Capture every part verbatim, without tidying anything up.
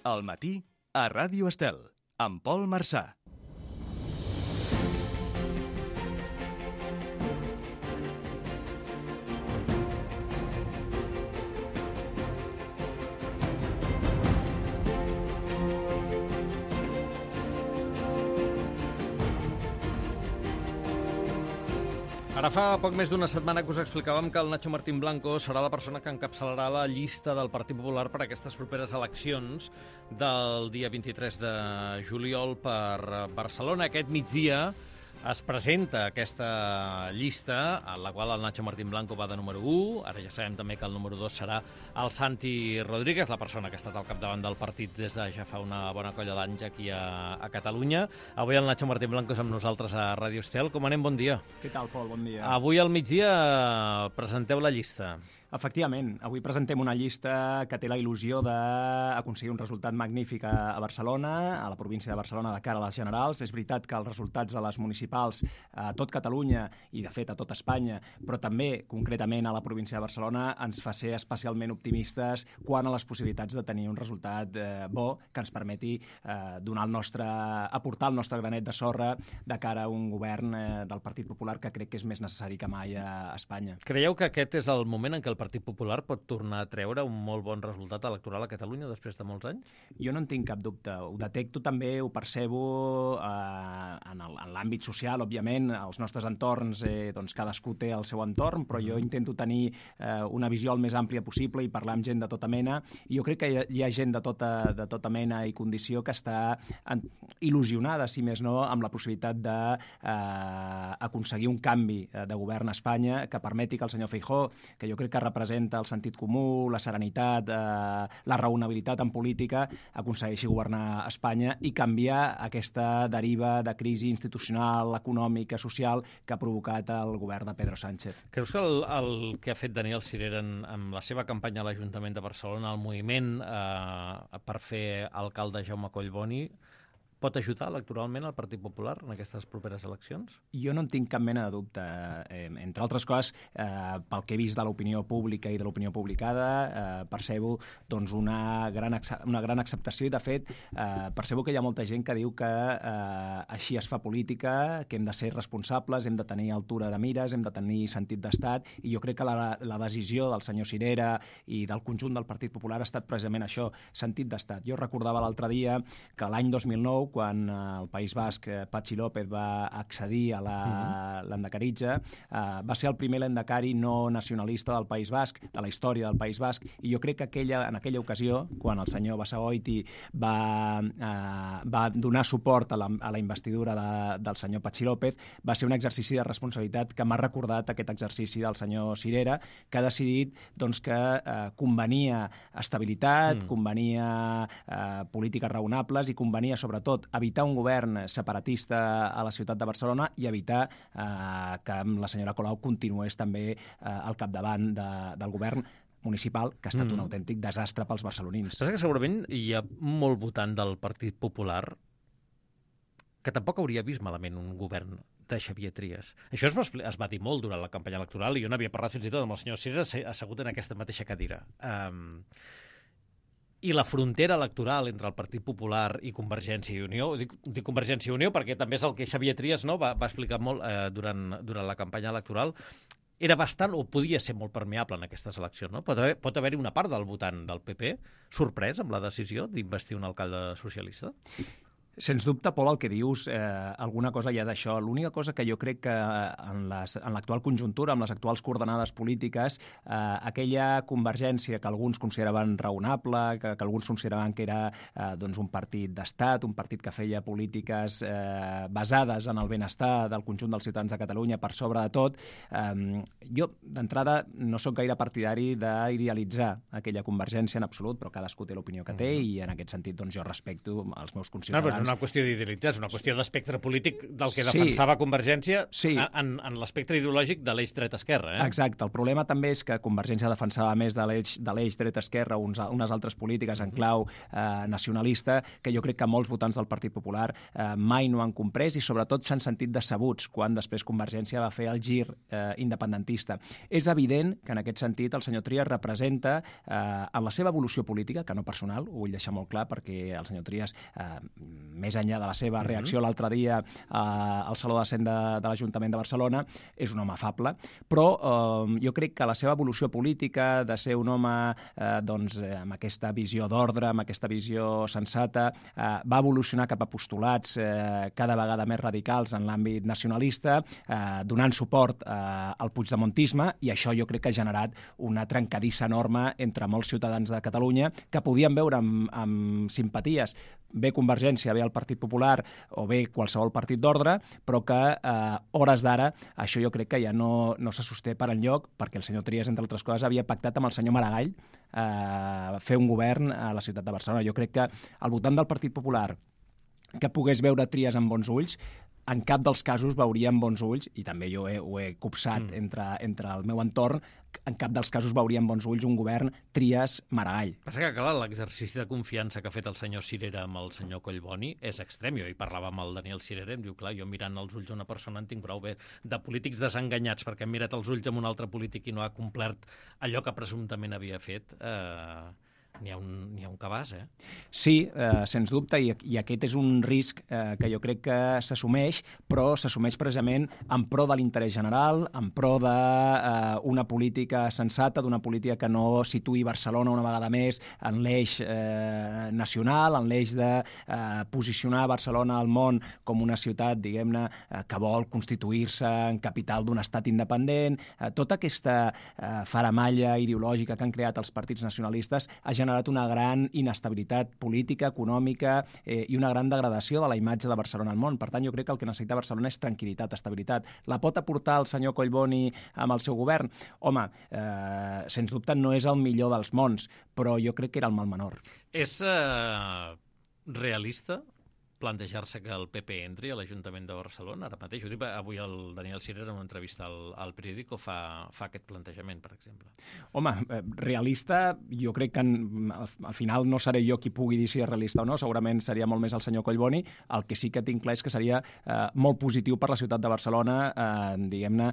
Al matí, a Ràdio Estel, amb Pol Marçà. Ara fa poc més d'una setmana que us explicàvem que el Nacho Martín Blanco serà la persona que encapçalarà la llista del Partit Popular per a aquestes properes eleccions del dia vint-i-tres de juliol per Barcelona. Aquest migdia es presenta aquesta llista, en la qual el Nacho Martín Blanco va de número u. Ara ja sabem també que el número dos serà el Santi Rodríguez, la persona que ha estat al capdavant del partit des de ja fa una bona colla d'anys aquí a, a Catalunya. Avui el Nacho Martín Blanco és amb nosaltres a Ràdio Estel. Com anem? Bon dia. Què tal, Pol? Bon dia. Avui al migdia presenteu la llista. Efectivament, avui presentem una llista que té la il·lusió d'aconseguir un resultat magnífic a Barcelona, a la província de Barcelona, de cara a les generals. És veritat que els resultats a les municipals a tot Catalunya i, de fet, a tot Espanya, però també, concretament, a la província de Barcelona, ens fa ser especialment optimistes quant a les possibilitats de tenir un resultat eh, bo que ens permeti eh, donar el nostre, aportar el nostre granet de sorra de cara a un govern eh, del Partit Popular que crec que és més necessari que mai a Espanya. Creieu que aquest és el moment en què el Partit Popular pot tornar a treure un molt bon resultat electoral a Catalunya després de molts anys? Jo no en tinc cap dubte. Ho detecto també, ho percebo eh, en l'àmbit social, òbviament, als nostres entorns, eh, doncs cadascú té el seu entorn, però jo intento tenir eh, una visió el més àmplia possible i parlar amb gent de tota mena, i jo crec que hi ha, hi ha gent de tota, de tota mena i condició que està en, il·lusionada, si més no, amb la possibilitat d'aconseguir eh, un canvi de govern a Espanya que permeti que el senyor Feijóo, que jo crec que representa el sentit comú, la serenitat, eh, la raonabilitat en política, aconsegueixi governar Espanya i canviar aquesta deriva de crisi institucional, econòmica, social que ha provocat el govern de Pedro Sánchez. Creus que el, el que ha fet Daniel Sirera en, en la seva campanya a l'Ajuntament de Barcelona, el moviment eh, per fer alcalde Jaume Collboni, pot ajudar electoralment al Partit Popular en aquestes properes eleccions? Jo no en tinc cap mena de dubte. Eh, entre altres coses, eh, pel que he vist de l'opinió pública i de l'opinió publicada, eh, percebo doncs, una, gran una gran acceptació i, de fet, eh, percebo que hi ha molta gent que diu que eh, així es fa política, que hem de ser responsables, hem de tenir altura de mires, hem de tenir sentit d'estat, i jo crec que la, la decisió del senyor Sirera i del conjunt del Partit Popular ha estat precisament això, sentit d'estat. Jo recordava l'altre dia que l'any dos mil nou, quan el País Basc, Patxi López, va accedir a l'endecaritza, eh, va ser el primer l'endecari no nacionalista del País Basc, de la història del País Basc, i jo crec que aquella, en aquella ocasió, quan el senyor Basagoiti va, eh, va donar suport a la, a la investidura de, del senyor Patxi López, va ser un exercici de responsabilitat que m'ha recordat aquest exercici del senyor Sirera, que ha decidit doncs, que eh, convenia estabilitat, mm. convenia eh, polítiques raonables i convenia, sobretot, evitar un govern separatista a la ciutat de Barcelona i evitar eh, que la senyora Colau continués també eh, al capdavant de, del govern municipal, que ha estat mm. un autèntic desastre pels barcelonins. Saps que segurament hi ha molt votant del Partit Popular que tampoc hauria vist malament un govern de Xavier Trias. Això es va, es va dir molt durant la campanya electoral i jo n'havia parlat fins i tot amb el senyor Sirera assegut en aquesta mateixa cadira. Um, I la frontera electoral entre el Partit Popular i Convergència i Unió, dic, dic Convergència i Unió perquè també és el que Xavier Trias no, va, va explicar molt eh, durant, durant la campanya electoral, era bastant, o podia ser molt permeable en aquestes eleccions. No? Pot haver, pot haver-hi una part del votant del P P sorprès amb la decisió d'investir un alcalde socialista? Sens dubte, Pol, el que dius, eh, alguna cosa hi ha d'això. L'única cosa que jo crec que en l'actual conjuntura, amb les actuals coordenades polítiques, eh, aquella convergència que alguns consideraven raonable, que, que alguns consideraven que era eh, doncs un partit d'estat, un partit que feia polítiques eh, basades en el benestar del conjunt dels ciutadans de Catalunya per sobre de tot, eh, jo, d'entrada, no sóc gaire partidari d'idealitzar aquella convergència en absolut, però cadascú té l'opinió que té, mm-hmm. i en aquest sentit doncs, jo respecto els meus conciutadans. No, una qüestió d'idealitzar, és una qüestió d'espectre polític del que Sí. defensava Convergència Sí. en, en l'espectre ideològic de l'eix dret-esquerra. Eh? Exacte. El problema també és que Convergència defensava més de l'eix de l'eix dret-esquerra uns, unes altres polítiques en clau eh, nacionalista que jo crec que molts votants del Partit Popular eh, mai no han comprès i sobretot s'han sentit decebuts quan després Convergència va fer el gir eh, independentista. És evident que en aquest sentit el senyor Trias representa eh, en la seva evolució política, que no personal, ho vull deixar molt clar perquè el senyor Trias, eh, més enllà de la seva reacció l'altre dia eh, al Saló de Cent de, de l'Ajuntament de Barcelona, és un home afable, però eh, jo crec que la seva evolució política de ser un home eh, doncs, eh, amb aquesta visió d'ordre, amb aquesta visió sensata, eh, va evolucionar cap a postulats eh, cada vegada més radicals en l'àmbit nacionalista, eh, donant suport eh, al puigdemontisme, i això jo crec que ha generat una trencadissa enorme entre molts ciutadans de Catalunya que podien veure amb, amb simpaties bé Convergència, bé el Partit Popular o bé qualsevol partit d'ordre, però que eh, hores d'ara això jo crec que ja no, no se sosté per enlloc, perquè el senyor Trias, entre altres coses, havia pactat amb el senyor Maragall eh, fer un govern a la ciutat de Barcelona. Jo crec que al voltant del Partit Popular que pogués veure Trias amb bons ulls, en cap dels casos veuria amb bons ulls, i també jo he, ho he copsat mm. entre, entre el meu entorn, en cap dels casos veuria amb bons ulls un govern Trias-Maragall. Passa que, clar, l'exercici de confiança que ha fet el senyor Cirera amb el senyor Collboni és extrem. Jo hi parlava amb el Daniel Cirera i em diu, clar, jo mirant els ulls d'una persona en tinc prou bé de polítics desenganyats perquè hem mirat els ulls amb un altre polític i no ha complert allò que presumptament havia fet. Eh... N'hi ha, un, n'hi ha un cabàs, eh? Sí, eh, sens dubte, i, i aquest és un risc eh, que jo crec que s'assumeix, però s'assumeix precisament en pro de l'interès general, en pro d'una eh, política sensata, d'una política que no situï Barcelona una vegada més en l'eix eh, nacional, en l'eix de eh, posicionar Barcelona al món com una ciutat, diguem-ne, eh, que vol constituir-se en capital d'un estat independent. Eh, tota aquesta eh, faramalla ideològica que han creat els partits nacionalistes ha generat generat una gran inestabilitat política, econòmica eh, i una gran degradació de la imatge de Barcelona al món. Per tant, jo crec que el que necessita Barcelona és tranquil·litat, estabilitat. La pot aportar el senyor Collboni amb el seu govern? Home, eh, sens dubte no és el millor dels mons, però jo crec que era el mal menor. És eh, realista plantejar-se que el P P entri a l'Ajuntament de Barcelona ara mateix? Ho dic, avui el Daniel Cirera en una entrevista al, al periòdico fa, fa aquest plantejament, per exemple. Home, eh, realista, jo crec que en, al, al final no seré jo qui pugui dir si és realista o no, segurament seria molt més el senyor Collboni. El que sí que tinc clar és que seria eh, molt positiu per la ciutat de Barcelona, eh, diguem-ne,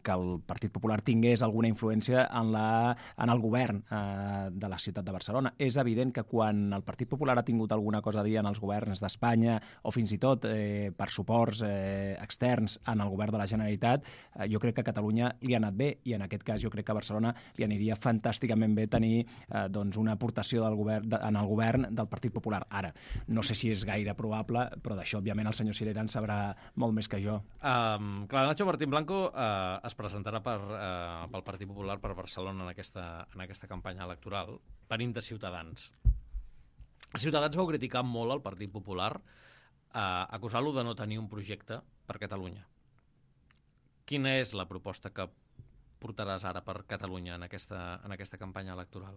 que el Partit Popular tingués alguna influència en, la, en el govern eh, de la ciutat de Barcelona. És evident que quan el Partit Popular ha tingut alguna cosa a dir en els governs d'Espanya o fins i tot eh, per suports eh, externs en el govern de la Generalitat, eh, jo crec que a Catalunya li ha anat bé, i en aquest cas jo crec que a Barcelona li aniria fantàsticament bé tenir eh, doncs una aportació del govern, de, en el govern del Partit Popular. Ara, no sé si és gaire probable, però d'això, òbviament, el senyor Cirera en sabrà molt més que jo. Um, clar, Nacho Martín Blanco uh, es presentarà per, uh, pel Partit Popular per Barcelona en aquesta, en aquesta campanya electoral, venint de Ciutadans. Ciutadans vau criticar molt el Partit Popular, eh, acusar-lo de no tenir un projecte per Catalunya. Quina és la proposta que portaràs ara per Catalunya en aquesta, en aquesta campanya electoral?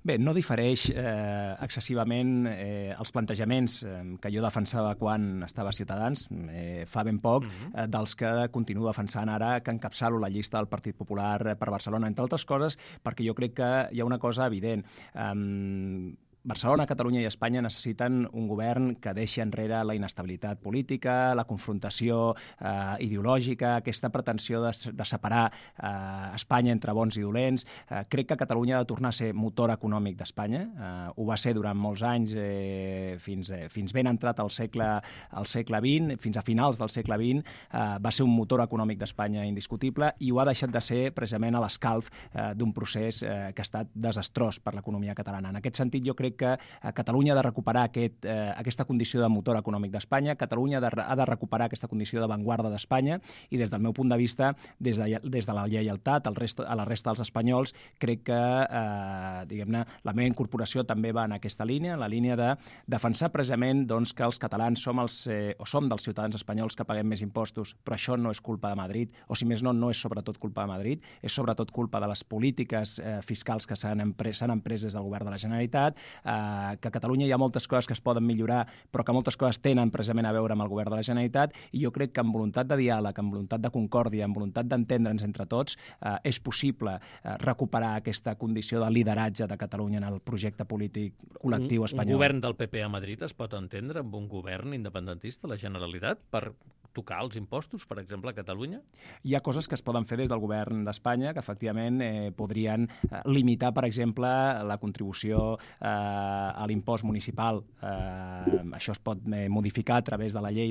Bé, no difereix eh, excessivament eh, els plantejaments eh, que jo defensava quan estava a Ciutadans, eh, fa ben poc, uh-huh. eh, dels que continuo defensant ara, que encapçalo la llista del Partit Popular per Barcelona, entre altres coses, perquè jo crec que hi ha una cosa evident. Eh, Barcelona, Catalunya i Espanya necessiten un govern que deixi enrere la inestabilitat política, la confrontació eh, ideològica, aquesta pretensió de, de separar eh, Espanya entre bons i dolents. Eh, crec que Catalunya ha de tornar a ser motor econòmic d'Espanya. Eh, ho va ser durant molts anys, eh, fins, eh, fins ben entrat al segle, al segle vint, fins a finals del segle vint, eh, va ser un motor econòmic d'Espanya indiscutible, i ho ha deixat de ser precisament a l'escalf eh, d'un procés eh, que ha estat desastrós per l'economia catalana. En aquest sentit, jo crec que Catalunya ha de recuperar aquest, eh, aquesta condició de motor econòmic d'Espanya, Catalunya ha de, ha de recuperar aquesta condició d'avantguarda d'Espanya, i des del meu punt de vista, des de, des de la lleialtat al resta, a la resta dels espanyols, crec que eh, diguem-ne, la meva incorporació també va en aquesta línia, la línia de defensar precisament doncs, que els catalans som, els, eh, o som dels ciutadans espanyols que paguem més impostos, però això no és culpa de Madrid, o si més no, no és sobretot culpa de Madrid, és sobretot culpa de les polítiques eh, fiscals que s'han empres, s'han emprès des del govern de la Generalitat. eh, que a Catalunya hi ha moltes coses que es poden millorar, però que moltes coses tenen precisament a veure amb el govern de la Generalitat, i jo crec que amb voluntat de diàleg, amb voluntat de concòrdia, amb voluntat d'entendre'ns entre tots, eh, és possible eh, recuperar aquesta condició de lideratge de Catalunya en el projecte polític col·lectiu espanyol. Un govern del P P a Madrid es pot entendre amb un govern independentista, la Generalitat, per tocar els impostos, per exemple, a Catalunya? Hi ha coses que es poden fer des del govern d'Espanya que efectivament eh, podrien eh, limitar, per exemple, la contribució eh, a l'impost municipal. Eh, això es pot eh, modificar a través de la llei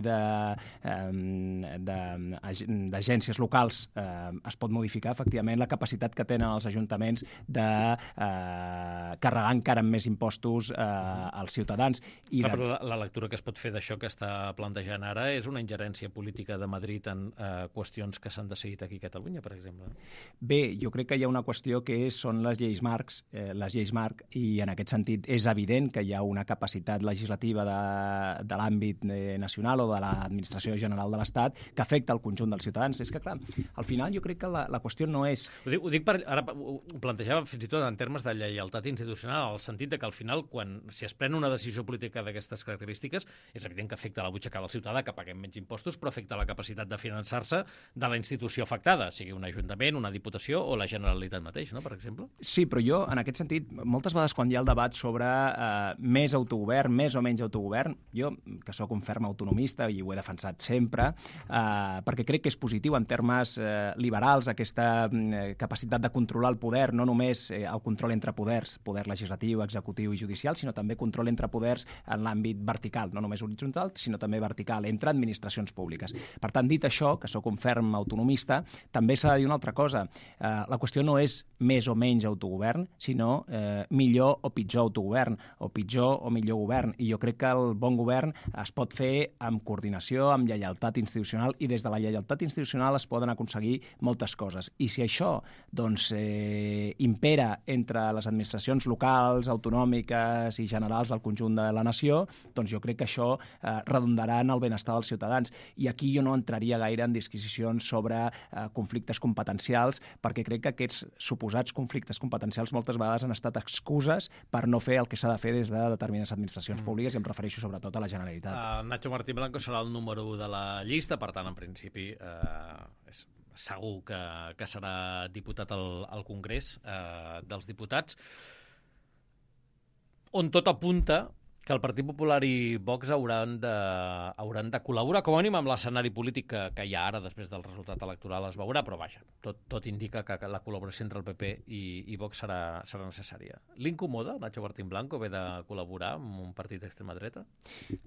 d'agències locals. Eh, es pot modificar, efectivament, la capacitat que tenen els ajuntaments de eh, carregar encara més impostos eh, als ciutadans. I Clar, de... però la, la lectura que es pot fer d'això que està plantejant ara és una ingerència política de Madrid en eh, qüestions que s'han decidit aquí a Catalunya, per exemple. Bé, jo crec que hi ha una qüestió que és, són les lleis marcs, eh, les lleis marc, i en aquest sentit és evident que hi ha una capacitat legislativa de, de l'àmbit eh, nacional o de l'administració general de l'Estat que afecta el conjunt dels ciutadans. És que, clar, al final jo crec que la, la qüestió no és... Ho dic, ho dic per, ara ho plantejava fins i tot en termes de lleialtat institucional, al sentit de que al final, quan si es pren una decisió política d'aquestes característiques, és evident que afecta la butxaca del ciutadà, que paguem menys impostos, però afecta la capacitat de finançar-se de la institució afectada, sigui un ajuntament, una diputació o la Generalitat mateix, no?, per exemple. Sí, però jo, en aquest sentit, moltes vegades quan hi ha el debat sobre eh, més autogovern, més o menys autogovern, jo, que sóc un ferm autonomista i ho he defensat sempre, eh, perquè crec que és positiu en termes eh, liberals aquesta eh, capacitat de controlar el poder, no només eh, el control entre poders, poder legislatiu, executiu i judicial, sinó també control entre poders en l'àmbit vertical, no només horitzontal, sinó també vertical, entre administracions públiques. Per tant, dit això, que sóc un ferm autonomista, també s'ha de dir una altra cosa. Eh, la qüestió no és més o menys autogovern, sinó eh, millor o pitjor autogovern, o pitjor o millor govern. I jo crec que el bon govern es pot fer amb coordinació, amb lleialtat institucional, i des de la lleialtat institucional es poden aconseguir moltes coses. I si això doncs, eh, impera entre les administracions locals, autonòmiques i generals del conjunt de la nació, doncs jo crec que això eh, redundarà en el benestar dels ciutadans. I aquí jo no entraria gaire en disquisicions sobre eh, conflictes competencials, perquè crec que aquests suposats conflictes competencials moltes vegades han estat excuses per no fer el que s'ha de fer des de determinades administracions mm. públiques, i em refereixo sobretot a la Generalitat. Uh, Nacho Martín Blanco serà el número u de la llista, per tant, en principi, uh, és segur que, que serà diputat al, al Congrés uh, dels Diputats, on tot apunta que el Partit Popular i Vox hauran de, hauran de col·laborar, com a mínim amb l'escenari polític que, que hi ha ara, després del resultat electoral es veurà, però vaja, tot, tot indica que la col·laboració entre el P P i, i Vox serà, serà necessària. L'incomoda, Nacho Martín Blanco, haver de col·laborar amb un partit d'extrema dreta?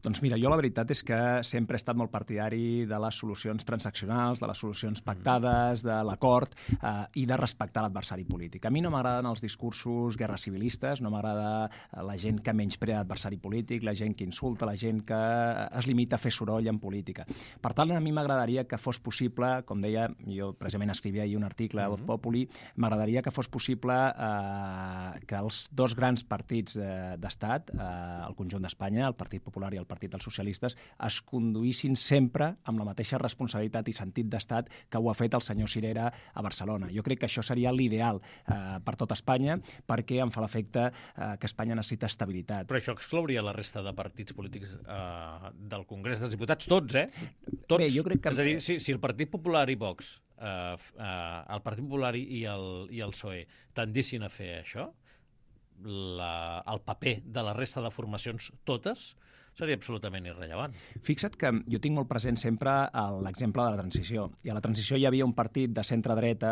Doncs mira, jo la veritat és que sempre he estat molt partidari de les solucions transaccionals, de les solucions pactades, de l'acord eh, i de respectar l'adversari polític. A mi no m'agraden els discursos guerra civilistes, no m'agrada la gent que menysprea l'adversari polític, la gent que insulta, la gent que es limita a fer soroll en política. Per tant, a mi m'agradaria que fos possible, com deia, jo precisament escrivia ahir un article a Voz Populi, m'agradaria que fos possible eh, que els dos grans partits eh, d'estat, eh, el conjunt d'Espanya, el Partit Popular i el Partit dels Socialistes, es conduïssin sempre amb la mateixa responsabilitat i sentit d'estat que ho ha fet el senyor Cirera a Barcelona. Jo crec que això seria l'ideal eh, per tot Espanya, perquè em fa l'efecte eh, que Espanya necessita estabilitat. Però això exclouria la resta de partits polítics eh, del Congrés dels Diputats, tots, eh? Tots. Bé, jo crec que... És a dir, si, si el Partit Popular i Vox, eh, eh, el Partit Popular i el, i el P S O E tendissin a fer això, la, el paper de la resta de formacions totes seria absolutament irrellevant. Fixa't que jo tinc molt present sempre l'exemple de la transició. I a la transició hi havia un partit de centre-dreta,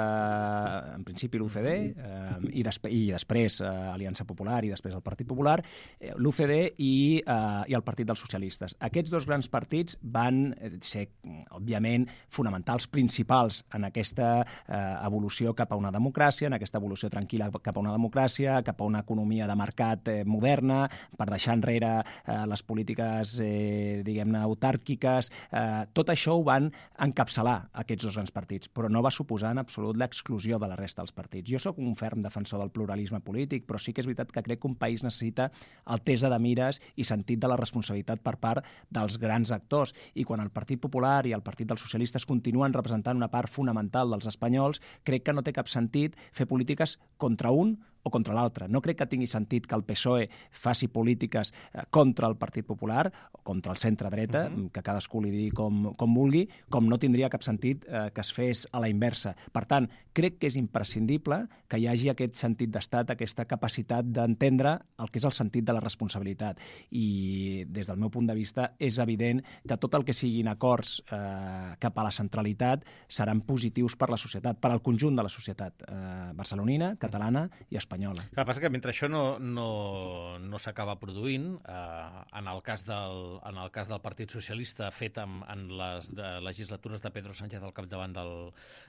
en principi l'U C D, eh, i, desp i després eh, Aliança Popular i després el Partit Popular, eh, l'U C D i, eh, i el Partit dels Socialistes. Aquests dos grans partits van ser, òbviament, fonamentals, principals en aquesta eh, evolució cap a una democràcia, en aquesta evolució tranquil·la cap a una democràcia, cap a una economia de mercat eh, moderna, per deixar enrere eh, les polítiques eh, diguem-ne, autàrquiques. Eh, tot això ho van encapçalar aquests dos grans partits, però no va suposar en absolut l'exclusió de la resta dels partits. Jo sóc un ferm defensor del pluralisme polític, però sí que és veritat que crec que un país necessita altesa de mires i sentit de la responsabilitat per part dels grans actors. I quan el Partit Popular i el Partit dels Socialistes continuen representant una part fonamental dels espanyols, crec que no té cap sentit fer polítiques contra un o contra l'altre. No crec que tingui sentit que el P S O E faci polítiques eh, contra el Partit Popular o contra el centre-dreta, uh-huh. que cadascú li digui com, com vulgui, com no tindria cap sentit eh, que es fes a la inversa. Per tant, crec que és imprescindible que hi hagi aquest sentit d'estat, aquesta capacitat d'entendre el que és el sentit de la responsabilitat. I des del meu punt de vista és evident que tot el que siguin acords eh, cap a la centralitat seran positius per la societat, per al conjunt de la societat eh, barcelonina, catalana i espanyola. El que passa que mentre això no, no, no s'acaba produint, eh, en, el cas del, en el cas del Partit Socialista fet en, en les de legislatures de Pedro Sánchez al capdavant del,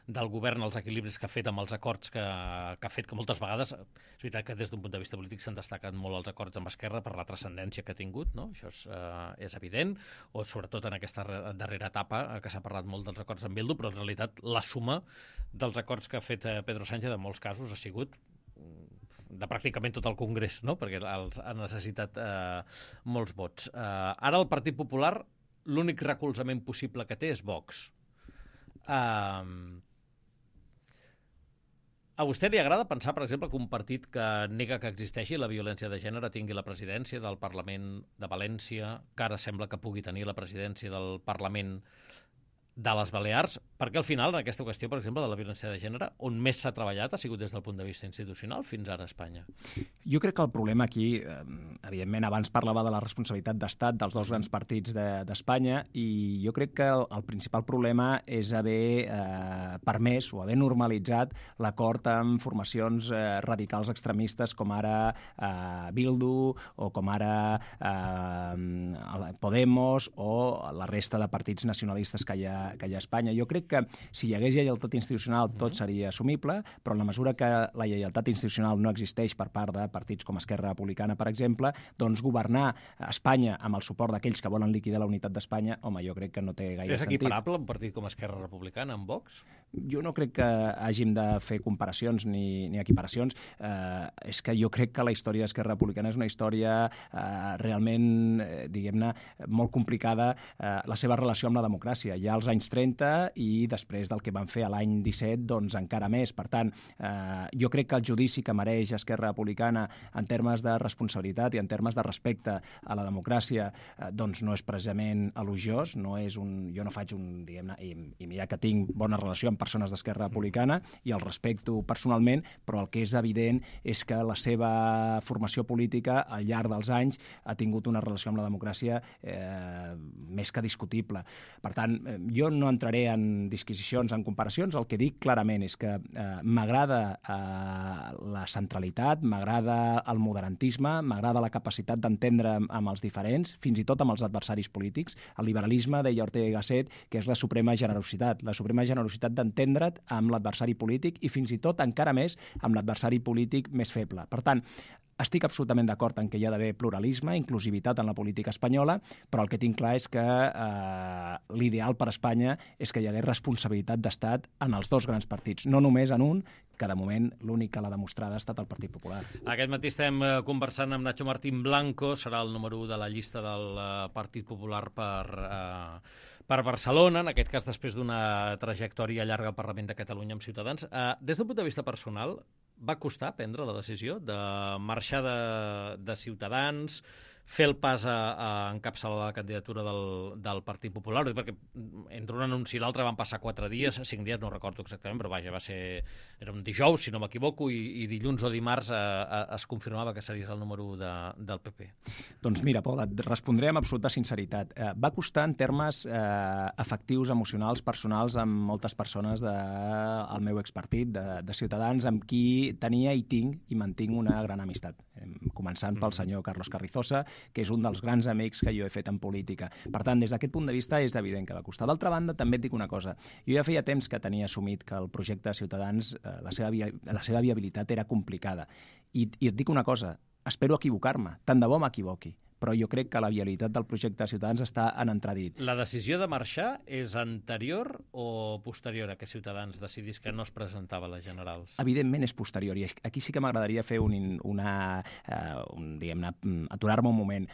del govern, els equilibris que ha fet amb els acords que, que ha fet, que moltes vegades, és veritat que des d'un punt de vista polític s'han destacat molt els acords amb Esquerra per la transcendència que ha tingut, no? Això és, eh, és evident, o sobretot en aquesta darrera etapa eh, que s'ha parlat molt dels acords amb Bildu, però en realitat la suma dels acords que ha fet eh, Pedro Sánchez en molts casos ha sigut de pràcticament tot el Congrés, no? Perquè els ha necessitat eh, molts vots. Eh, ara el Partit Popular, l'únic recolzament possible que té és Vox. Eh, a vostè li agrada pensar, per exemple, que un partit que nega que existeixi la violència de gènere tingui la presidència del Parlament de València, que ara sembla que pugui tenir la presidència del Parlament de les Balears, perquè al final, en aquesta qüestió, per exemple, de la violència de gènere, on més s'ha treballat ha sigut des del punt de vista institucional fins ara a Espanya? Jo crec que el problema aquí, eh, evidentment, abans parlava de la responsabilitat d'estat dels dos grans partits d'Espanya, de, i jo crec que el, el principal problema és haver eh, permès o haver normalitzat l'acord amb formacions eh, radicals extremistes com ara eh, Bildu o com ara eh, Podemos o la resta de partits nacionalistes que hi ha que hi ha a Espanya. Jo crec que si hi hagués lleialtat institucional tot seria assumible, però en la mesura que la lleialtat institucional no existeix per part de partits com Esquerra Republicana, per exemple, doncs governar Espanya amb el suport d'aquells que volen liquidar la unitat d'Espanya, home, jo crec que no té gaire sentit. És equiparable un partit com Esquerra Republicana amb Vox? Jo no crec que hàgim de fer comparacions ni, ni equiparacions. Eh, és que jo crec que la història d'Esquerra Republicana és una història eh, realment, eh, diguem-ne, molt complicada, eh, la seva relació amb la democràcia. Hi ha els anys trenta i després del que van fer a l'any disset, doncs encara més. Per tant, eh, jo crec que el judici que mereix Esquerra Republicana en termes de responsabilitat i en termes de respecte a la democràcia, eh, doncs no és precisament elogiós, no és un, jo no faig un, diguem-ne, i, i mira que tinc bona relació amb persones d'Esquerra Republicana i el respecto personalment, però el que és evident és que la seva formació política al llarg dels anys ha tingut una relació amb la democràcia eh, més que discutible. Per tant, eh, jo no entraré en disquisicions, en comparacions. El que dic clarament és que eh, m'agrada eh, la centralitat, m'agrada el moderantisme, m'agrada la capacitat d'entendre amb els diferents, fins i tot amb els adversaris polítics. El liberalisme, deia Ortega y Gasset, que és la suprema generositat, la suprema generositat d'entendre't amb l'adversari polític i fins i tot encara més amb l'adversari polític més feble. Per tant, estic absolutament d'acord en que hi ha d'haver pluralisme, inclusivitat en la política espanyola, però el que tinc clar és que eh, l'ideal per a Espanya és que hi hagués responsabilitat d'estat en els dos grans partits, no només en un, que de moment l'únic que l'ha demostrada ha estat el Partit Popular. Aquest matí estem conversant amb Nacho Martín Blanco, serà el número u de la llista del Partit Popular per... Eh, per Barcelona, en aquest cas després d'una trajectòria llarga al Parlament de Catalunya amb Ciutadans. Eh, des d'un punt de vista personal, va costar prendre la decisió de marxar de, de Ciutadans, fer el pas a, a encapçalar la candidatura del, del Partit Popular, perquè entre un anunci i l'altre van passar quatre dies, cinc dies, no recordo exactament, però vaja, va ser... Era un dijous, si no m'equivoco, i, i dilluns o dimarts a, a, es confirmava que series el número u de, del P P. Doncs mira, Pol, et respondré amb absoluta sinceritat. Eh, va costar en termes eh, afectius, emocionals, personals, amb moltes persones del de, meu expartit, de, de Ciutadans, amb qui tenia i tinc i mantinc una gran amistat. Eh, començant pel senyor Carlos Carrizosa, que és un dels grans amics que jo he fet en política. Per tant, des d'aquest punt de vista és evident que va costar. D'altra banda, també et dic una cosa. Jo ja feia temps que tenia assumit que el projecte de Ciutadans, eh, la, seva via, la seva viabilitat era complicada. I, I et dic una cosa, espero equivocar-me, tant de bo m'equivoqui, però jo crec que la viabilitat del projecte de Ciutadans està en entredit. La decisió de marxar és anterior o posterior a que Ciutadans decidís que no es presentava a les generals? Evidentment és posterior, i aquí sí que m'agradaria fer un, una, uh, un, diguem-ne, aturar-me un moment.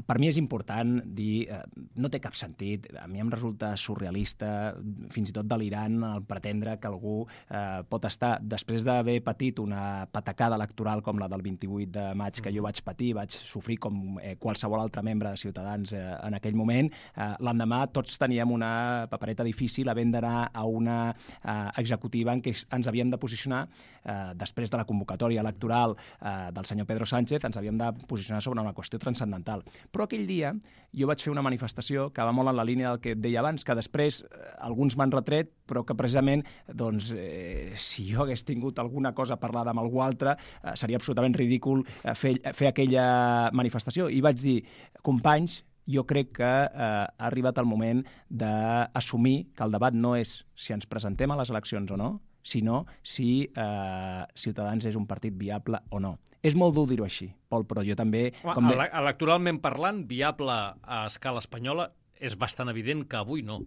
per mi és important dir, eh, no té cap sentit, a mi em resulta surrealista, fins i tot delirant, el pretendre que algú eh, pot estar, després d'haver patit una patacada electoral com la del vint-i-vuit de maig que jo vaig patir, vaig sofrir com eh, qualsevol altre membre de Ciutadans eh, en aquell moment, eh, l'endemà tots teníem una papereta difícil havent d'anar a una eh, executiva en què ens havíem de posicionar eh, després de la convocatòria electoral eh, del senyor Pedro Sánchez, ens havíem de posicionar sobre una qüestió transcendental. Però aquell dia jo vaig fer una manifestació que va molt en la línia del que et deia abans, que després eh, alguns m'han retret, però que precisament, doncs, eh, si jo hagués tingut alguna cosa parlada amb algú altre, eh, seria absolutament ridícul eh, fer, fer aquella manifestació. I vaig dir, companys, jo crec que eh, ha arribat el moment d'assumir que el debat no és si ens presentem a les eleccions o no, sinó si eh, Ciutadans és un partit viable o no. És molt dur dir-ho així, Pol, però jo també... Com de... Electoralment parlant, viable a escala espanyola, és bastant evident que avui no.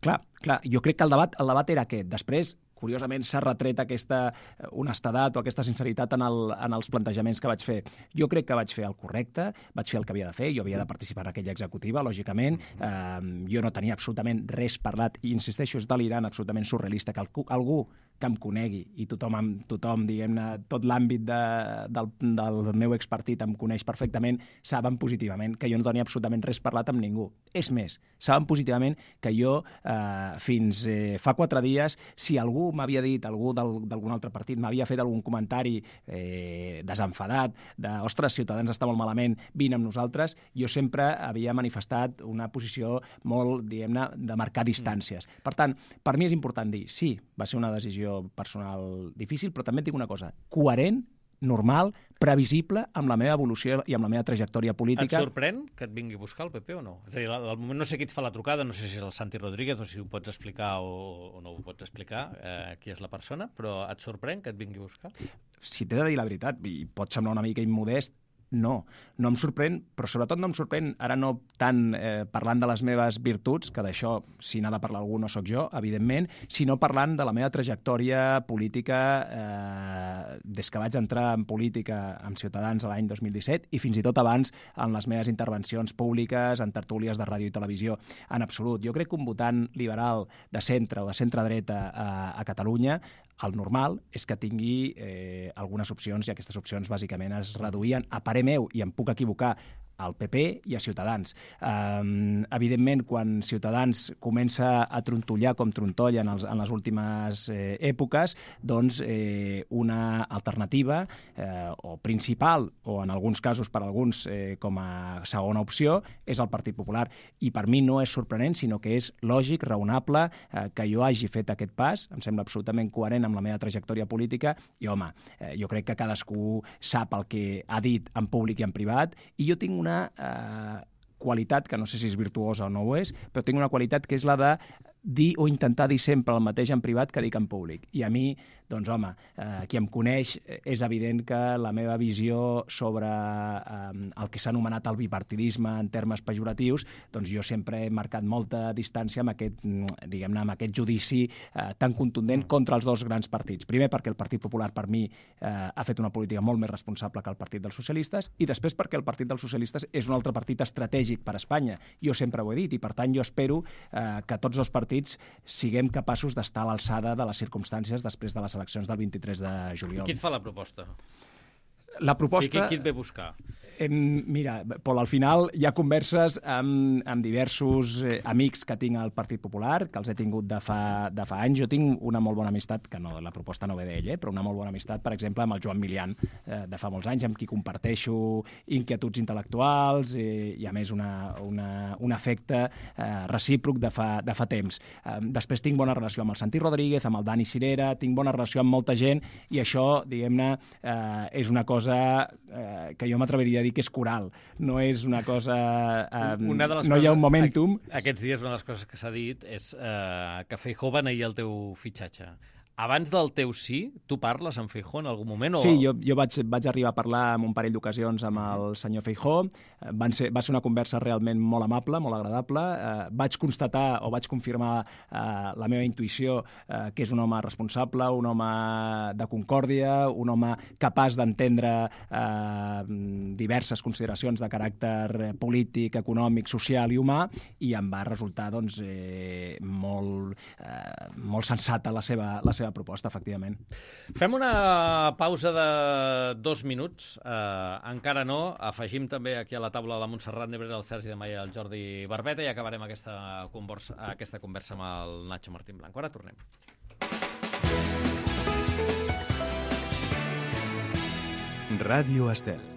Clar, clar, jo crec que el debat, el debat era aquest. Després, curiosament, s'ha retret aquesta honestedat o aquesta sinceritat en, el, en els plantejaments que vaig fer. Jo crec que vaig fer el correcte, vaig fer el que havia de fer, jo havia de participar en aquella executiva, lògicament. Eh, jo no tenia absolutament res parlat, i insisteixo, és delirant, absolutament surrealista, que algú, algú que em conegui, i tothom, tothom diguem-ne, tot l'àmbit de, del, del meu expartit em coneix perfectament, saben positivament que jo no tenia absolutament res parlat amb ningú. És més, saben positivament que jo, eh, fins eh, fa quatre dies, si algú m'havia dit, algú d'algun altre partit m'havia fet algun comentari eh, desenfadat, de, ostres, Ciutadans està molt malament, vine amb nosaltres, jo sempre havia manifestat una posició molt, diguem-ne, de marcar distàncies. Per tant, per mi és important dir, sí, va ser una decisió personal difícil, però també et dic una cosa, coherent, normal, previsible amb la meva evolució i amb la meva trajectòria política. Et sorprèn que et vingui a buscar el P P o no? És a dir, al moment no sé qui et fa la trucada, no sé si és el Santi Rodríguez o si ho pots explicar o, o no ho pots explicar, eh, qui és la persona, però et sorprèn que et vingui a buscar? Si t'he de dir la veritat, i pot semblar una mica immodest, no, no em sorprèn, però sobretot no em sorprèn, ara no tant eh, parlant de les meves virtuts, que d'això, si n'ha de parlar algú, no sóc jo, evidentment, sinó parlant de la meva trajectòria política eh, des que vaig entrar en política amb Ciutadans l'any dos mil disset i fins i tot abans en les meves intervencions públiques, en tertúlies de ràdio i televisió, en absolut. Jo crec que un votant liberal de centre o de centre-dreta a, a Catalunya, el normal és que tingui eh, algunes opcions, i aquestes opcions bàsicament es reduïen, a parer meu, i em puc equivocar, al P P i a Ciutadans. Um, evidentment, quan Ciutadans comença a trontollar com trontolla en, els, en les últimes eh, èpoques, doncs eh, una alternativa eh, o principal, o en alguns casos per alguns eh, com a segona opció, és el Partit Popular. I per mi no és sorprenent, sinó que és lògic, raonable, eh, que jo hagi fet aquest pas. Em sembla absolutament coherent amb la meva trajectòria política i, home, eh, jo crec que cadascú sap el que ha dit en públic i en privat, i jo tinc una una eh, qualitat, que no sé si és virtuosa o no ho és, però tinc una qualitat que és la de dir o intentar dir sempre el mateix en privat que dic en públic. I a mi, doncs home, eh, qui em coneix, és evident que la meva visió sobre eh, el que s'ha anomenat el bipartidisme en termes pejoratius, doncs jo sempre he marcat molta distància amb aquest, diguem-ne, amb aquest judici eh, tan contundent contra els dos grans partits. Primer perquè el Partit Popular, per mi, eh, ha fet una política molt més responsable que el Partit dels Socialistes, i després perquè el Partit dels Socialistes és un altre partit estratègic per a Espanya. Jo sempre ho he dit, i per tant jo espero eh, que tots els partits siguem capaços d'estar a l'alçada de les circumstàncies després de les eleccions del vint-i-tres de juliol. Qui et fa la proposta? La proposta... I qui, qui et ve a buscar? Eh, mira, Pol, al final hi ha converses amb, amb diversos eh, amics que tinc al Partit Popular, que els he tingut de fa, de fa anys. Jo tinc una molt bona amistat, que no, la proposta no ve d'ell, eh, però una molt bona amistat, per exemple, amb el Joan Milian, eh, de fa molts anys, amb qui comparteixo inquietuds intel·lectuals eh, i, a més, una, una, un afecte eh, recíproc de fa, de fa temps. Eh, després tinc bona relació amb el Santi Rodríguez, amb el Dani Cirera, tinc bona relació amb molta gent, i això, diguem-ne, eh, és una cosa eh, que jo m'atreviria a dir que és coral, no és una cosa... Eh, una de les no coses, hi ha un momentum... Aquests dies una de les coses que s'ha dit és eh, que Feijóo va negar el teu fitxatge. abans del teu sí, tu parles amb Feijóo en algun moment? O... Sí, jo, jo vaig, vaig arribar a parlar en un parell d'ocasions amb el senyor Feijóo. Van ser, va ser una conversa realment molt amable, molt agradable. Eh, vaig constatar o vaig confirmar eh, la meva intuïció eh, que és un home responsable, un home de concòrdia, un home capaç d'entendre eh, diverses consideracions de caràcter polític, econòmic, social i humà, i em va resultar doncs, eh, molt, eh, molt sensata la seva, la seva proposta, efectivament. Fem una pausa de dos minuts. Uh, encara no. Afegim també aquí a la taula la Montserrat Nebrera, el Sergi de Maia i el Jordi Barbeta i acabarem aquesta conversa, aquesta conversa amb el Nacho Martín Blanco. Ara tornem. Ràdio Estel.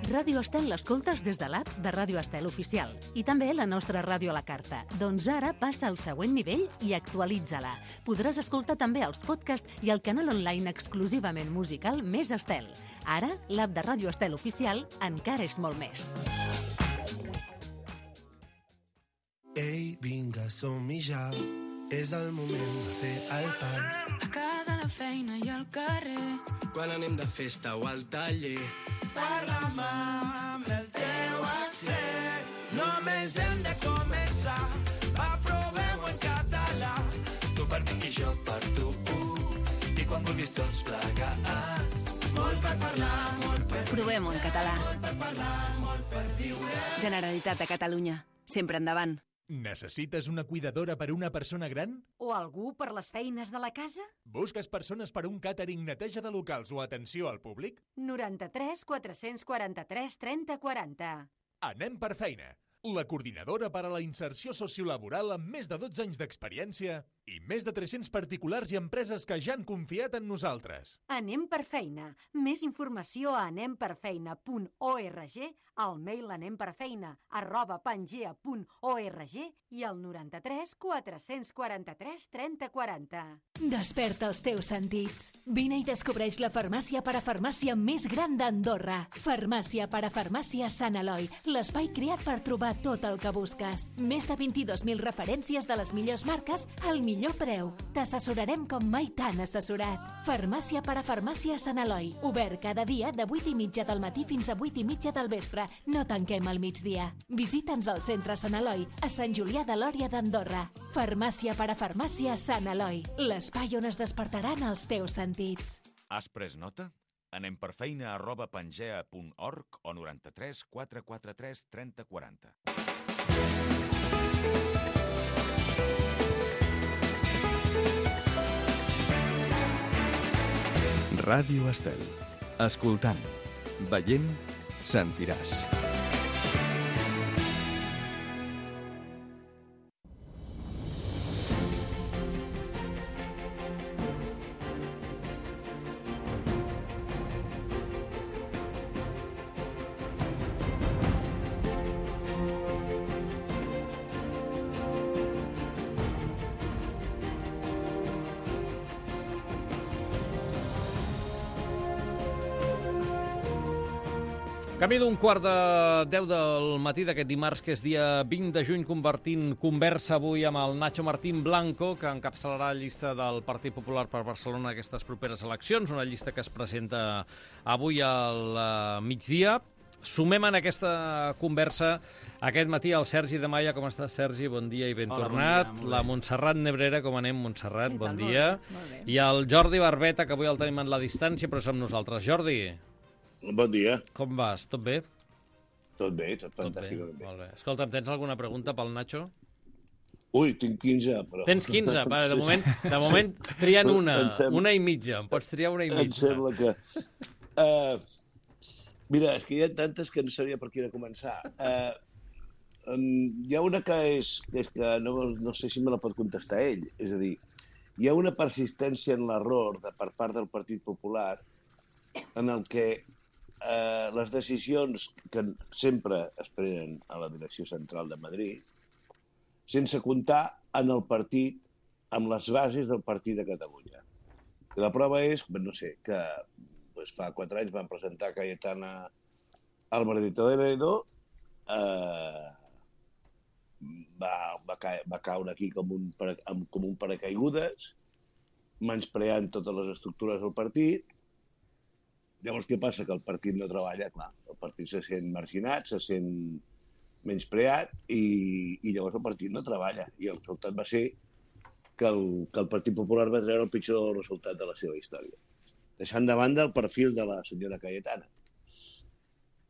Ràdio Estel l'escoltes des de l'app de Ràdio Estel Oficial i també la nostra ràdio a la carta. Doncs ara passa al següent nivell i actualitza-la. Podràs escoltar també els podcasts i el canal online exclusivament musical Més Estel. Ara, l'app de Ràdio Estel Oficial encara és molt més. Ei, vinga, som-hi ja. És el moment de fer el pas. A casa, a la feina i al carrer. Quan anem de festa o al taller. Parla'm amb el teu accent. Només hem de començar. Va, provem-ho en català. Tu per mi i jo per tu. I quan vulguis tots plegats. Molt per parlar, molt per viure. Provem-ho en català. Molt per parlar, molt per viure. Generalitat de Catalunya. Sempre endavant. Necessites una cuidadora per a una persona gran? O algú per les feines de la casa? Busques persones per a un càtering, neteja de locals o atenció al públic? noranta-tres quatre-cents quaranta-tres trenta quaranta. Anem per feina. La coordinadora per a la inserció sociolaboral amb més de dotze anys d'experiència i més de tres-cents particulars i empreses que ja han confiat en nosaltres. Anem per feina. Més informació a anem per feina punt org, al mail anemperfeina arroba pangea punt org i al noranta-tres quatre-cents quaranta-tres trenta quaranta. Desperta els teus sentits. Vine i descobreix la farmàcia parafarmàcia més gran d'Andorra. Farmàcia parafarmàcia Sant Eloi, l'espai creat per trobar tot el que busques. Més de vint-i-dos mil referències de les millors marques al millor preu. T'assessorarem com mai t'han assessorat. Farmàcia parafarmàcia Sant Eloi. Obert cada dia de vuit i mitja del matí fins a vuit i mitja del vespre. No tanquem al migdia. Visita'ns al centre Sant Eloi, a Sant Julià de Lòria d'Andorra. Farmàcia parafarmàcia Sant Eloi. L'espai on es despertaran els teus sentits. Has pres nota? Anem per feina arroba pangea punt org o noranta-tres quatre quatre tres trenta quaranta. Ràdio Estel. Escoltant, veient, sentiràs. Camí d'un quart de deu del matí d'aquest dimarts, que és dia vint de juny, convertint conversa avui amb el Nacho Martín Blanco, que encapçalarà la llista del Partit Popular per Barcelona aquestes properes eleccions, una llista que es presenta avui al migdia. Sumem en aquesta conversa aquest matí el Sergi de Maia. Com estàs, Sergi? Bon dia i ben Hola, tornat. Bon dia, la Montserrat Nebrera, com anem, Montserrat? Bon Molt dia. bé, molt bé. I el Jordi Barbeta, que avui el tenim en la distància, però som nosaltres. Jordi, bon dia. com vas? Tot bé? Tot bé, tot Tot bé, fantàstic. molt bé. Escolta'm, tens alguna pregunta pel Nacho? Ui, tinc quinze, però... Tens quinze? Vale, de moment, de moment trien una, una i mitja. Em pots triar una i Em mitja. sembla que... Uh, mira, és que hi ha tantes que no sabia per quina començar. Uh, um, hi ha una que és que, és que no, no sé si me la pot contestar ell. És a dir, hi ha una persistència en l'error de per part del Partit Popular en el que eh, les decisions que sempre es prenen a la direcció central de Madrid, sense comptar en el partit, amb les bases del partit de Catalunya. I la prova és, no sé, que pues, fa quatre anys van presentar Cayetana Álvarez de Toledo, eh, va, va, ca va caure aquí com un, com un paracaigudes, menyspreant totes les estructures del partit. Llavors, què passa? Que el partit no treballa, clar. El partit se sent marginat, se sent menyspreat i, i llavors el partit no treballa. I el resultat va ser que el, que el Partit Popular va treure el pitjor resultat de la seva història. Deixant de banda el perfil de la senyora Cayetana.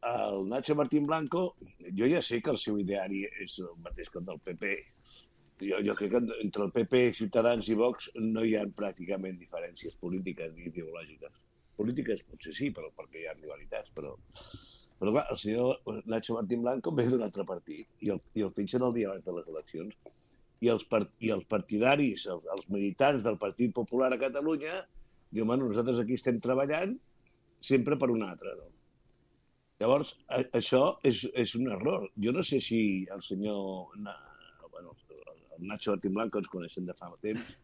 El Nacho Martín Blanco, jo ja sé que el seu ideari és el mateix que el del P P. Jo, jo crec que entre el P P, Ciutadans i Vox no hi ha pràcticament diferències polítiques ni ideològiques. Polítiques potser sí, però perquè hi ha rivalitats, però... Però clar, el senyor Nacho Martín Blanco ve d'un altre partit i el, i el fitxen el dia abans de les eleccions. I els, part, i els partidaris, els, els militants del Partit Popular a Catalunya, diuen, bueno, nosaltres aquí estem treballant sempre per un altre, no? Llavors, a, això és, és un error. Jo no sé si el senyor... Na, bueno, el Nacho Martín Blanco ens coneixen de fa temps.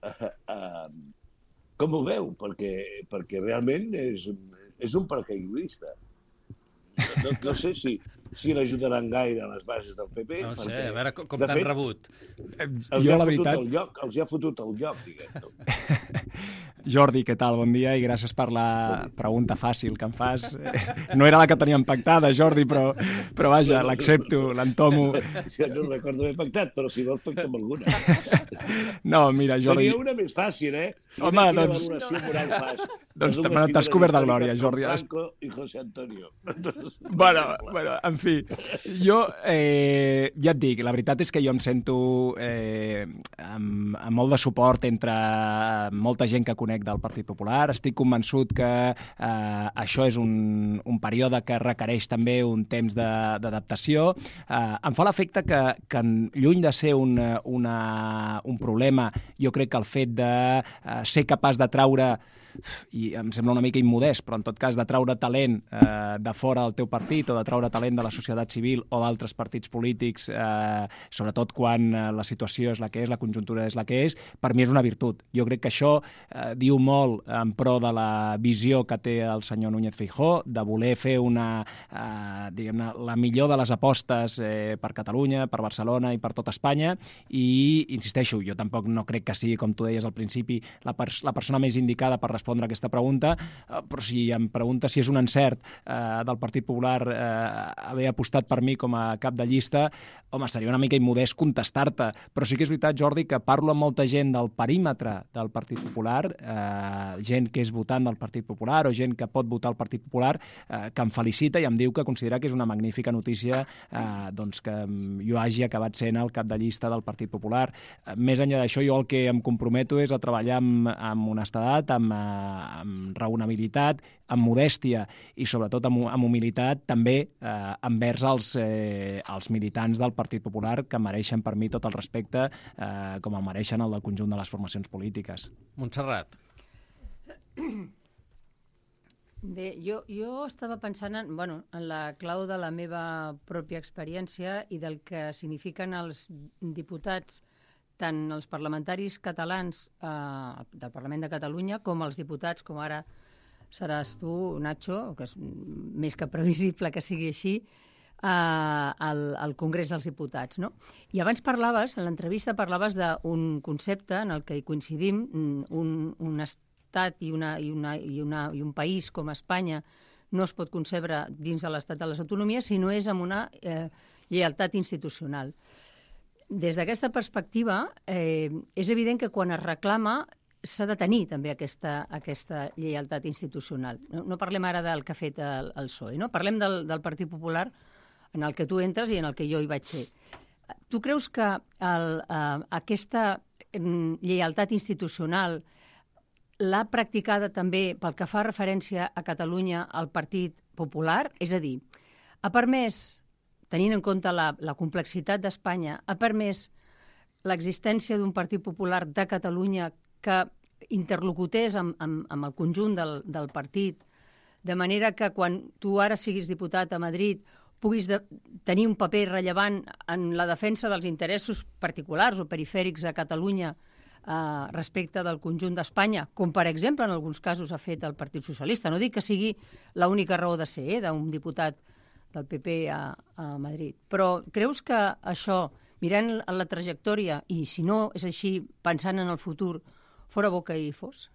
Uh, uh, com ho veu? Perquè, perquè realment és, és un paracaigudista. No, no sé si, si l'ajudaran gaire a les bases del P P. No sé, perquè, a veure com, com t'han rebut. Els jo, ha la fotut veritat... el lloc, els hi ha fotut el lloc, diguem-ne. Jordi, què tal? Bon dia i gràcies per la pregunta fàcil que em fas. No era la que teníem pactada, Jordi, però, però vaja, l'accepto, l'entomo. Ja no recordo haver pactat, però si vols pactar amb alguna. No, mira, Jordi... Tenia una més fàcil, eh? Home, quina doncs... valoració moral fas. Doncs t'has cobert de glòria, Jordi. Franco i José Antonio. Bueno, bueno, en fi, jo eh, ja et dic, la veritat és que jo em sento eh, amb, amb molt de suport entre molta gent que conec del Partit Popular. Estic convençut que eh, això és un, un període que requereix també un temps d'adaptació. Eh, em fa l'efecte que, que lluny de ser un, una, un problema, jo crec que el fet de eh, ser capaç de traure i em sembla una mica immodest, però en tot cas de traure talent eh, de fora del teu partit o de traure talent de la societat civil o d'altres partits polítics, eh, sobretot quan eh, la situació és la que és, la conjuntura és la que és, per mi és una virtut. Jo crec que això eh, diu molt en pro de la visió que té el senyor Núñez Feijóo, de voler fer una, eh, diguem-ne, la millor de les apostes eh, per Catalunya, per Barcelona i per tot Espanya, i insisteixo, jo tampoc no crec que sigui, com tu deies al principi, la, pers la persona més indicada per respondre a aquesta pregunta, eh, però si em pregunta si és un encert eh, del Partit Popular eh, haver apostat per mi com a cap de llista, home, seria una mica immodest contestar-te, però sí que és veritat, Jordi, que parlo amb molta gent del perímetre del Partit Popular, eh, gent que és votant del Partit Popular o gent que pot votar el Partit Popular, eh, que em felicita i em diu que considera que és una magnífica notícia eh, doncs que jo hagi acabat sent el cap de llista del Partit Popular. Eh, més enllà d'això, jo el que em comprometo és a treballar amb, amb honestedat, amb eh, amb raonabilitat, amb modèstia i sobretot amb, amb humilitat també eh, envers els, eh, els militants del Partit Popular que mereixen per mi tot el respecte eh, com el mereixen el del conjunt de les formacions polítiques. Montserrat. Bé, jo, jo estava pensant en, bueno, en la clau de la meva pròpia experiència i del que signifiquen els diputats, tant els parlamentaris catalans eh, del Parlament de Catalunya com els diputats, com ara seràs tu, Nacho, que és més que previsible que sigui així, eh, al, al Congrés dels Diputats, no? I abans parlaves, en l'entrevista parlaves d'un concepte en el que hi coincidim, un, un estat i, una, i, una, i, una, i un país com Espanya no es pot concebre dins de l'estat de les autonomies si no és amb una eh, lleialtat institucional. Des d'aquesta perspectiva, eh, és evident que quan es reclama s'ha de tenir també aquesta, aquesta lleialtat institucional. No, no parlem ara del que ha fet el, el P S O E, no? Parlem del, del Partit Popular en el que tu entres i en el que jo hi vaig ser. Tu creus que el, eh, aquesta lleialtat institucional l'ha practicada també pel que fa referència a Catalunya al Partit Popular? És a dir, ha permès, tenint en compte la, la complexitat d'Espanya, ha permès l'existència d'un Partit Popular de Catalunya que interlocutés amb, amb, amb el conjunt del, del partit, de manera que quan tu ara siguis diputat a Madrid puguis de, tenir un paper rellevant en la defensa dels interessos particulars o perifèrics de Catalunya eh, respecte del conjunt d'Espanya, com per exemple en alguns casos ha fet el Partit Socialista. No dic que sigui l'única raó de ser eh, d'un diputat del P P a, a Madrid. Però creus que això, mirant la trajectòria, i si no és així, pensant en el futur, fora bo que hi fos?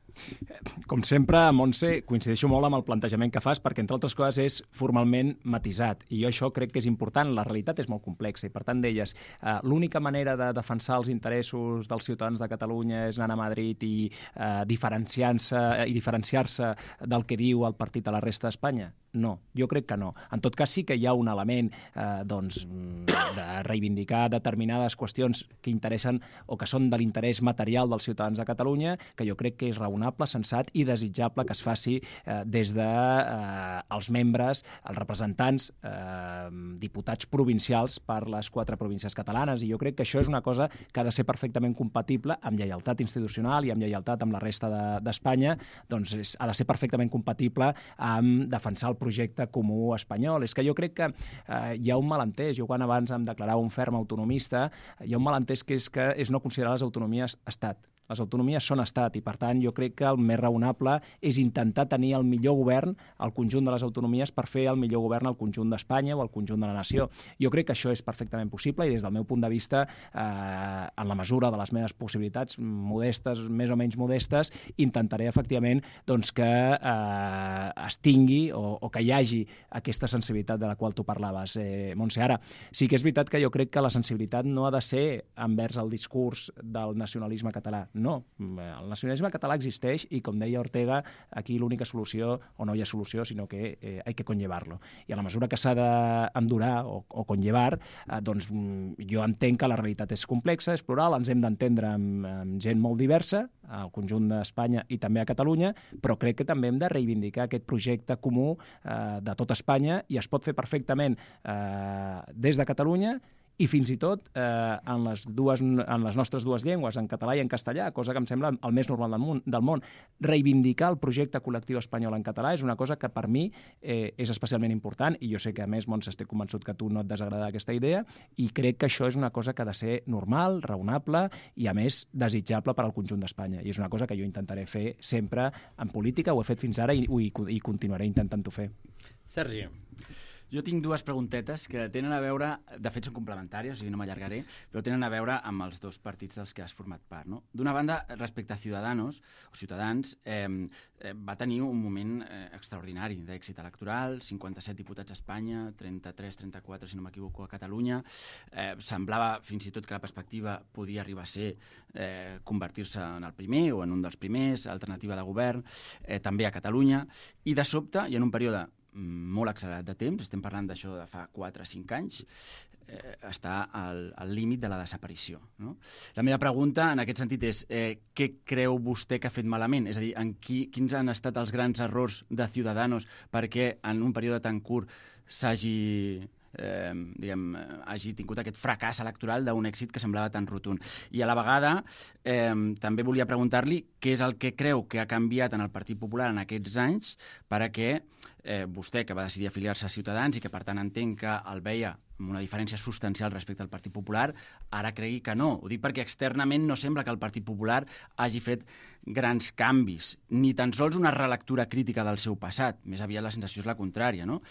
Com sempre, Montse, coincideixo molt amb el plantejament que fas perquè, entre altres coses, és formalment matisat. I jo això crec que és important. La realitat és molt complexa i, per tant, deies, eh, l'única manera de defensar els interessos dels ciutadans de Catalunya és anar a Madrid i eh, diferenciar-se i diferenciar-se del que diu el partit a la resta d'Espanya? No, jo crec que no. En tot cas, sí que hi ha un element eh, doncs, de reivindicar determinades qüestions que interessen o que són de l'interès material dels ciutadans de Catalunya, que jo crec que és raonable, sensat i desitjable que es faci eh, des de eh, els membres, els representants, eh, diputats provincials per les quatre províncies catalanes. I jo crec que això és una cosa que ha de ser perfectament compatible amb lleialtat institucional i amb lleialtat amb la resta d'Espanya, de, doncs és, ha de ser perfectament compatible amb defensar el projecte comú espanyol. És que jo crec que eh, hi ha un malentès. Jo quan abans em declarava un ferm autonomista, hi ha un malentès que és, que és no considerar les autonomies estat. Les autonomies són estat i, per tant, jo crec que el més raonable és intentar tenir el millor govern al conjunt de les autonomies per fer el millor govern al conjunt d'Espanya o al conjunt de la nació. Jo crec que això és perfectament possible i, des del meu punt de vista, eh, en la mesura de les meves possibilitats, modestes, més o menys modestes, intentaré, efectivament, doncs, que eh, es tingui o, o que hi hagi aquesta sensibilitat de la qual tu parlaves, eh, Montse. Ara, sí que és veritat que jo crec que la sensibilitat no ha de ser envers el discurs del nacionalisme català. No, el nacionalisme català existeix i, com deia Ortega, aquí l'única solució, o no hi ha solució, sinó que eh, hay que conllevarlo. I a la mesura que s'ha d'endurar o, o conllevar, eh, doncs jo entenc que la realitat és complexa, és plural, ens hem d'entendre amb, amb gent molt diversa, al conjunt d'Espanya i també a Catalunya, però crec que també hem de reivindicar aquest projecte comú eh, de tot Espanya i es pot fer perfectament eh, des de Catalunya i fins i tot eh, en, les dues, en les nostres dues llengües, en català i en castellà, cosa que em sembla el més normal del món. Del món. Reivindicar el projecte col·lectiu espanyol en català és una cosa que per mi eh, és especialment important i jo sé que, a més, Montse, estic convençut que a tu no et desagrada aquesta idea i crec que això és una cosa que ha de ser normal, raonable i, a més, desitjable per al conjunt d'Espanya. I és una cosa que jo intentaré fer sempre en política, ho he fet fins ara i, i, i continuaré intentant-ho fer. Sergi. Jo tinc dues preguntetes que tenen a veure, de fet són complementàries, o sigui, no m'allargaré, però tenen a veure amb els dos partits dels que has format part. No? D'una banda, respecte a Ciudadanos, o Ciutadans, eh, eh, va tenir un moment eh, extraordinari d'èxit electoral, cinquanta-set diputats a Espanya, trenta-tres, trenta-quatre, si no m'equivoco, a Catalunya. Eh, semblava fins i tot que la perspectiva podia arribar a ser eh, convertir-se en el primer o en un dels primers, alternativa de govern, eh, també a Catalunya, i de sobte, i en un període molt accelerat de temps, estem parlant d'això de fa quatre o cinc anys, eh, està al, al límit de la desaparició. No? La meva pregunta en aquest sentit és eh, què creu vostè que ha fet malament? És a dir, en qui, quins han estat els grans errors de Ciudadanos perquè en un període tan curt s'hagi... Eh, diguem, hagi tingut aquest fracàs electoral d'un èxit que semblava tan rotund. I a la vegada eh, també volia preguntar-li què és el que creu que ha canviat en el Partit Popular en aquests anys perquè eh, vostè, que va decidir afiliar-se a Ciutadans i que per tant entenc que el veia amb una diferència substancial respecte al Partit Popular, ara cregui que no. Ho dic perquè externament no sembla que el Partit Popular hagi fet grans canvis, ni tan sols una relectura crítica del seu passat. Més aviat la sensació és la contrària. No?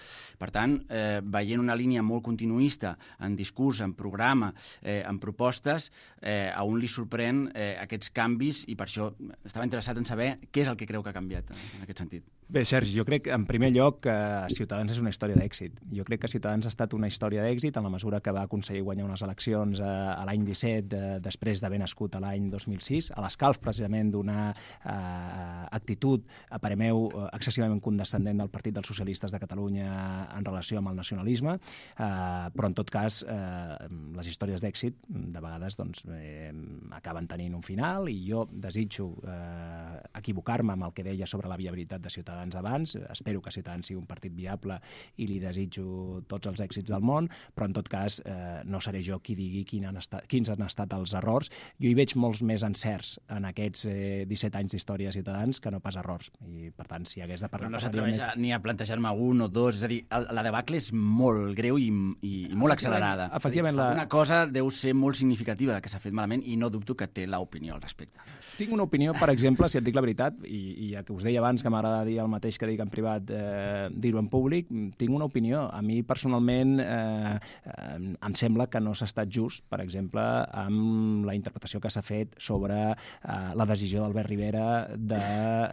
Per tant, eh, veient una línia molt continuista en discurs, en programa, eh, en propostes, eh, a un li sorprèn eh, aquests canvis i per això estava interessat en saber què és el que creu que ha canviat en aquest sentit. Bé, Sergi, jo crec, en primer lloc, que Ciutadans és una història d'èxit. Jo crec que Ciutadans ha estat una història d'èxit en la mesura que va aconseguir guanyar unes eleccions a, a l'any disset, de, després d'haver nascut a l'any dos mil sis, a l'escalf precisament d'una eh, actitud, a parer meu, excessivament condescendent del Partit dels Socialistes de Catalunya en relació amb el nacionalisme, eh, però en tot cas eh, les històries d'èxit de vegades doncs, eh, acaben tenint un final i jo desitjo eh, equivocar-me amb el que deia sobre la viabilitat de Ciutadans abans, espero que Ciutadans sigui un partit viable i li desitjo tots els èxits del món, però en tot cas eh, no seré jo qui digui quin han estat, quins han estat els errors. Jo hi veig molts més encerts en aquests eh, disset anys d'història de Ciutadans que no pas errors. I, per tant, si hagués de parlar... Però no s'atreveix més... ni a plantejar-me un o dos, és a dir, la debacle és molt greu i, i, i molt accelerada. Efectivament, la... Una cosa deu ser molt significativa que s'ha fet malament i no dubto que té l'opinió al respecte. Tinc una opinió, per exemple, si et dic la veritat, i, i ja que us deia abans que m'agrada dir el mateix que dic en privat, eh, dir-ho en públic, tinc una opinió. A mi, personalment, eh, eh, em sembla que no s'ha estat just, per exemple, amb la interpretació que s'ha fet sobre eh, la decisió d'Albert Rivera de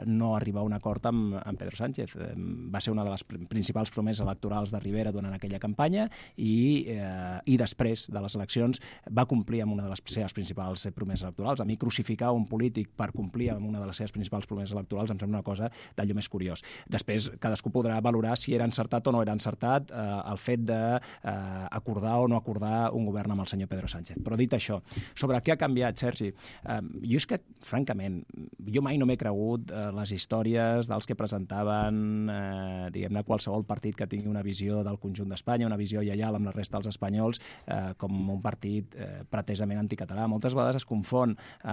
no arribar a un acord amb, amb Pedro Sánchez. Eh, va ser una de les principals promeses electorals de Rivera durant aquella campanya i, eh, i després de les eleccions va complir amb una de les seves principals promeses electorals. A mi crucificar un polític per complir amb una de les seves principals promeses electorals em sembla una cosa d'allò més curiós. Després, cadascú podrà valorar si era encertat o no era encertat eh, el fet d'acordar eh, o no acordar un govern amb el senyor Pedro Sánchez. Però dit això, sobre què ha canviat, Sergi, eh, jo és que, francament, jo mai no m'he cregut eh, les històries dels que presentaven, eh, diguem-ne, qualsevol partit que tingui una visió del conjunt d'Espanya, una visió lleial amb la resta dels espanyols, eh, com un partit eh, pretesament anticatalà. Moltes vegades es confon eh,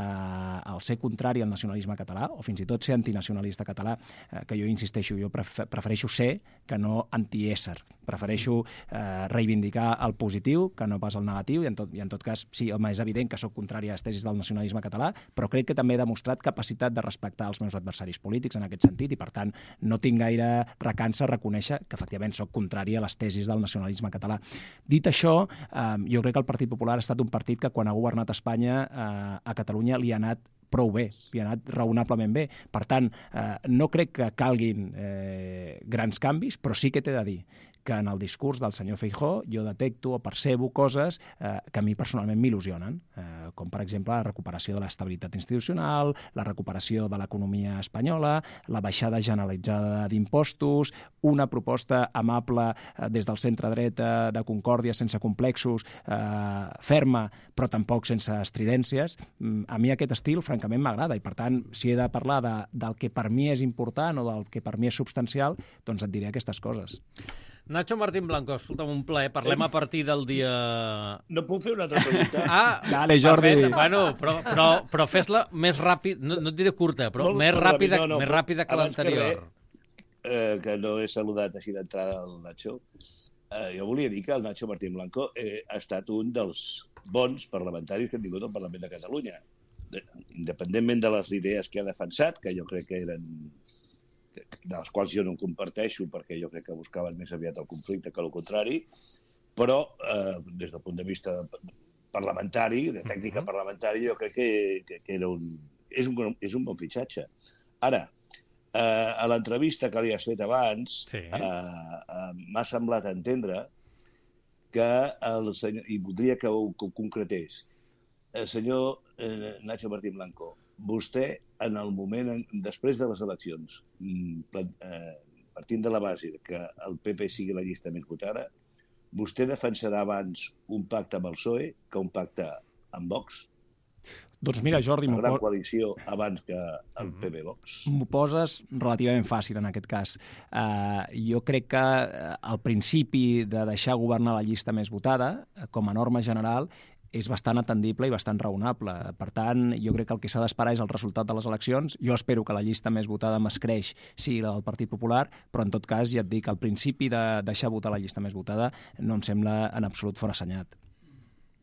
el ser contrari al nacionalisme català, o fins i tot ser antinacionalista català, eh, que jo insisteixo, jo pref prefereixo ser que no antiésser. Prefereixo eh, reivindicar el positiu que no pas el negatiu, i en, tot, i en tot cas, sí, home, és evident que sóc contrari a les tesis del nacionalisme català, però crec que també he demostrat capacitat de respectar els meus adversaris polítics en aquest sentit, i per tant no tinc gaire recança a reconèixer que efectivament sóc contrari a les tesis del nacionalisme català. Dit això, eh, jo crec que el Partit Popular ha estat un partit que quan ha governat Espanya eh, a Catalunya li ha anat prou bé, li ha anat raonablement bé. Per tant, eh, no crec que calguin eh, grans canvis, però sí que t'he de dir que en el discurs del senyor Feijóo jo detecto o percebo coses eh, que a mi personalment m'il·lusionen, eh, com per exemple la recuperació de l'estabilitat institucional, la recuperació de l'economia espanyola, la baixada generalitzada d'impostos, una proposta amable eh, des del centre-dreta de concòrdia sense complexos, eh, ferma però tampoc sense estridències. A mi aquest estil, francament, m'agrada i per tant, si he de parlar de, del que per mi és important o del que per mi és substancial, doncs et diré aquestes coses. Nacho Martín Blanco, escolta'm, un plaer. Parlem a partir del dia... No puc fer una altra pregunta? Ah, Dale, Jordi. Perfecte. Bueno, però, però, però fes-la més ràpid, no, no et diré curta, però Molt, més molt ràpida, ràpid, no, no, més ràpida que l'anterior. Eh, que no he saludat així d'entrada el Nacho. Eh, jo volia dir que el Nacho Martín Blanco eh, ha estat un dels bons parlamentaris que han vingut al Parlament de Catalunya. De, independentment de les idees que ha defensat, que jo crec que eren... de les quals jo no comparteixo perquè jo crec que buscaven més aviat el conflicte que el contrari, però eh, des del punt de vista parlamentari, de tècnica parlamentària, jo crec que, que, que era un, és, un, és un bon fitxatge. Ara, eh, a l'entrevista que li has fet abans, sí. eh, eh, m'ha semblat entendre que el senyor, i voldria que ho, que ho concretés, el senyor eh, Nacho Martín Blanco, vostè, en el moment, després de les eleccions, eh, partint de la base que el P P sigui la llista més votada, vostè defensarà abans un pacte amb el P S O E que un pacte amb Vox? Doncs mira, Jordi... Una gran coalició abans que el P P Vox. M'ho poses relativament fàcil en aquest cas. Uh, jo crec que el principi de deixar governar la llista més votada, com a norma general, és bastant atendible i bastant raonable. Per tant, jo crec que el que s'ha d'esperar és el resultat de les eleccions. Jo espero que la llista més votada m'escreix sigui la del Partit Popular, però en tot cas ja et dic, el principi de deixar votar la llista més votada no em sembla en absolut forassenyat.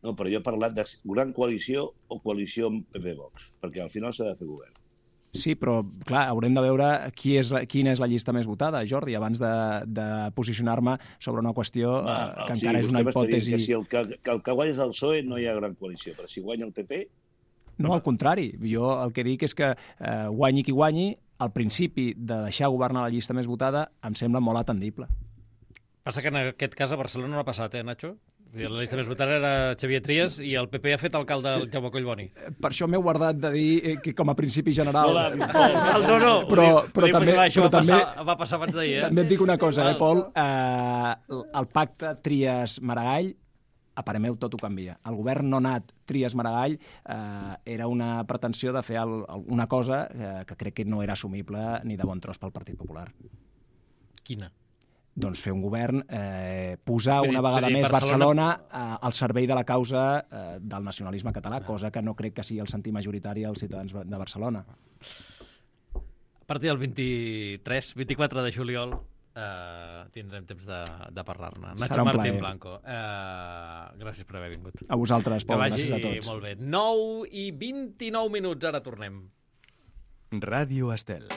No, però jo he parlat de gran coalició o coalició amb P P Vox, perquè al final s'ha de fer govern. Sí, però, clar, haurem de veure qui és la, quina és la llista més votada, Jordi, abans de, de posicionar-me sobre una qüestió Va, eh, que sí, encara és una hipòtesi... Que si el que, que el que guanya és el P S O E no hi ha gran coalició, però si guanya el P P... No, al contrari. Jo el que dic és que eh, guanyi qui guanyi, el principi de deixar governar la llista més votada em sembla molt atendible. Passa que en aquest cas a Barcelona no ha passat, eh, Nacho? La llista més votada era Xavier Trias i el P P ha fet alcalde el Jaume Collboni. Per això m'he guardat de dir que com a principi general... No, no, no. Però, però també, això però va, també, passar, va passar abans d'ahir, eh? També et dic una cosa, eh, Pol? Eh, el pacte Trias-Maragall, a parer meu, tot ho canvia. El govern no nat Trias-Maragall eh, era una pretensió de fer el, una cosa eh, que crec que no era assumible ni de bon tros pel Partit Popular. Quina? doncs fer un govern, eh, posar Vull dir- una vegada vull dir, més Barcelona- Barcelona eh, al servei de la causa eh, del nacionalisme català, cosa que no crec que sigui el sentir majoritari als ciutadans de Barcelona. A partir del vint-i-tres, vint-i-quatre de juliol eh, tindrem temps de, de parlar-ne. Serà Nacho un Martín plaer. Blanco, eh, gràcies per haver vingut. A vosaltres, Pol, que vagi gràcies a tots. molt bé. nou i vint-i-nou minuts, ara tornem. Ràdio Estel.